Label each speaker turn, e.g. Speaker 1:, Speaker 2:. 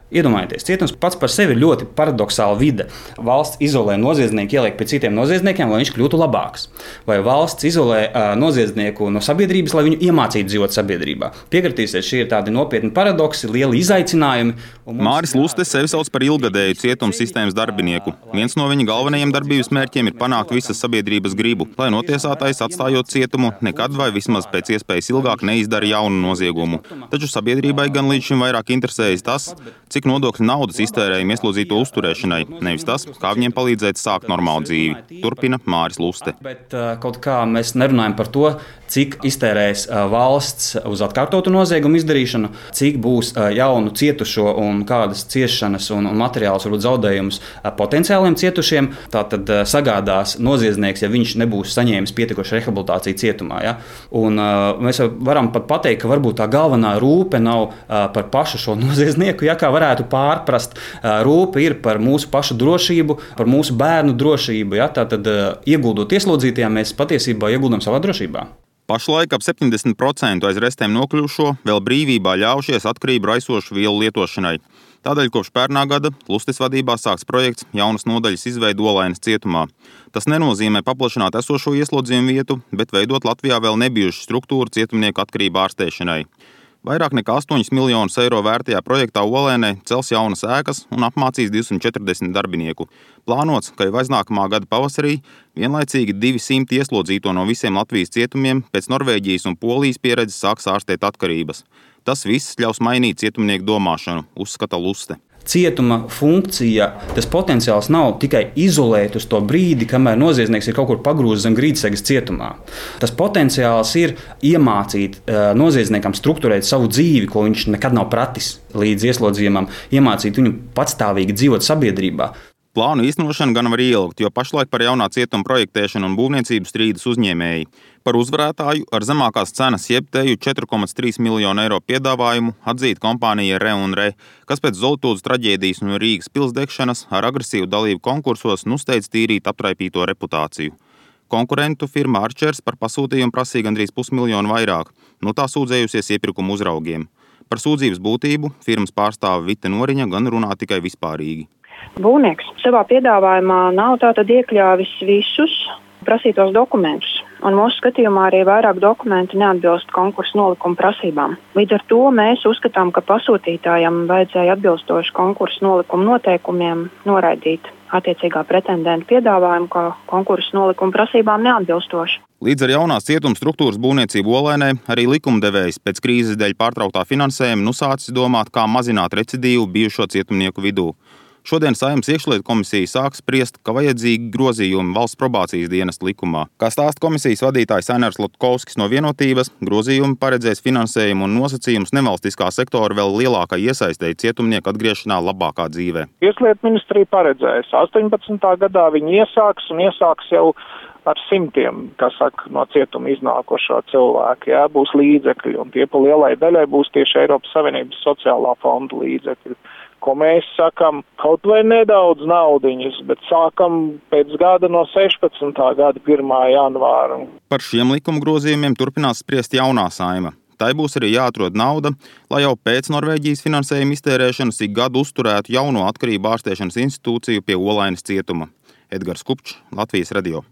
Speaker 1: Iedomājieties, cietums pats par sevi ir ļoti paradoxāla vide. Valsts izolē noziedznieku, ieliek pie citiem noziedzniekiem, lai viņš kļūtu labāks. Vai valsts izolē noziedznieku no sabiedrības, lai viņu iemācītu dzīvot sabiedrībā. Piekritīsiet, šie ir tādi nopietni paradoksi, lieli izaicinājumi.
Speaker 2: Māris Luste sevi sauc par ilgadēju cietuma sistēmas darbinieku. Viens no viņa galvenajiem darbības mērķiem ir panākt visas sabiedrības gribu, lai notiesātais, atstājot cietumu, nekad vai vismaz pēc iespējas ilgāk neizdara jaunu noziegumu. Taču sabiedrībai gan līdz šim vairāk interesējas tas, cik nodokļu naudas iztērējam ieslodzīto uzturēšanai, nevis tas, kā viņiem palīdzēt sākt normālu dzīvi. Turpina Māris Luste.
Speaker 1: Bet kaut kā mēs nerunājam par to, cik iztērēs valsts uz atkārtotu noziegumu izdarīšanu, cik būs jaunu cietušo un kādas ciešanas un materiālus, varbūt zaudējumus potenciāliem cietušiem. Tātad sagādās noziedznieks, ja viņš nebūs saņēmis pietiekošu rehabilitāciju cietumā. Ja? Un mēs varam pat pateikt, ka varbūt tā galvenā rūpe nav par pašu šo noziedznieku, ja kā varētu pārprast. Rūpe ir par mūsu pašu drošību, par mūsu bērnu drošību. Ja? Tātad ieguldot ieslodzītajiem, mēs patiesībā ieguldam savā drošībā.
Speaker 2: Pašlaik ap 70% aiz restēm nokļuvušo vēl brīvībā ļaušies atkarību raisošu vielu lietošanai. Tādēļ kopš pērnā gada Lustes vadībā sāks projekts jaunas nodaļas izveide Olainas cietumā. Tas nenozīmē paplašināt esošo ieslodzījumu vietu, bet veidot Latvijā vēl nebijušu struktūru cietumnieku atkarību ārstēšanai. Vairāk nekā 8 miljonus eiro vērtajā projektā Olainai cels jaunas ēkas un apmācīs 240 darbinieku. Plānots, ka jau aiznākamā gada pavasarī vienlaicīgi 200 ieslodzīto no visiem Latvijas cietumiem pēc Norvēģijas un Polijas pieredzes sāks ārstēt atkarības. Tas viss ļaus mainīt cietumnieku domāšanu, uzskata Luste.
Speaker 1: Cietuma funkcija, tas potenciāls nav tikai izolēt uz to brīdi, kamēr noziedznieks ir kaut kur pagrūzis zem grīdsegas cietumā. Tas potenciāls ir iemācīt noziedzniekam strukturēt savu dzīvi, ko viņš nekad nav pratis līdz ieslodzījumam, iemācīt viņu patstāvīgi dzīvot sabiedrībā.
Speaker 2: Plānu īstenošana gan var ielgt, jo pašlaik par jaunā cietuma projektēšanu un būvniecību strīdas uzņēmēji. Par uzvarētāju ar zemākās cenas jeb teju 4,3 miljonu eiro piedāvājumu atzīt kompānija Re&Re, kas pēc Zoltūdas traģēdijas un Rīgas pilsdegšanas ar agresīvu dalību konkursos steidz tīrīt aptraipīto reputāciju. Konkurentu firma Arčers par pasūtījumu prasīja gandrīz 500 miljonu vairāk, no tā sūdzējusies iepirkuma uzraugiem. Par sūdzības būtību firmas pārstāve Vita Noriņa gan runā tikai vispārīgi.
Speaker 3: Būvnieks savā piedāvājumā nav tātad iekļāvis visus prasītos dokumentus, un mūsu skatījumā arī vairāk dokumentu neatbilst konkursu nolikuma prasībām. Līdz ar to mēs uzskatām, ka pasūtītājam vajadzēja atbilstoši konkursu nolikuma noteikumiem noraidīt attiecīgā pretendenta piedāvājumu, kā konkursu nolikuma prasībām neatbilstoši.
Speaker 2: Līdz ar jaunās cietuma struktūras būvniecību Olainai arī likumdevējs pēc krīzes dēļ pārtrauktā finansējuma sācis domāt, kā mazināt recidīvu bijušo cietumnieku vidū. Šodien Saeimas iekšlietu komisija sāks spriest, ka vajadzīgi grozījumi valsts probācijas dienesta likumā. Kā stāsta komisijas vadītājs Ainars Lotkovskis no Vienotības, grozījumi paredzēs finansējumu un nosacījumus nevalstiskā sektora vēl lielākai iesaistei cietumnieku atgriešanā labākā dzīvē.
Speaker 4: Tieslietu ministrija paredzēs 18. gadā viņi iesāks jau ar simtiem, no cietuma iznākošo cilvēku. Jā, būs līdzekļi, un tie pa lielai daļai būs tieši Eiropas Savienības sociālā fonda līdzekļi. Ko mēs sakam, kaut vai nedaudz naudiņas, bet sākam pēc gada no 16. gada 1. janvāra.
Speaker 2: Par šiem likuma grozījumiem turpinās spriest jaunā Saeima. Tai būs arī jāatrod nauda, lai jau pēc Norvēģijas finansējuma iztērēšanas ik gadu uzturētu jauno atkarību ārstēšanas institūciju pie Olainas cietuma. Edgars Kupčs, Latvijas radio.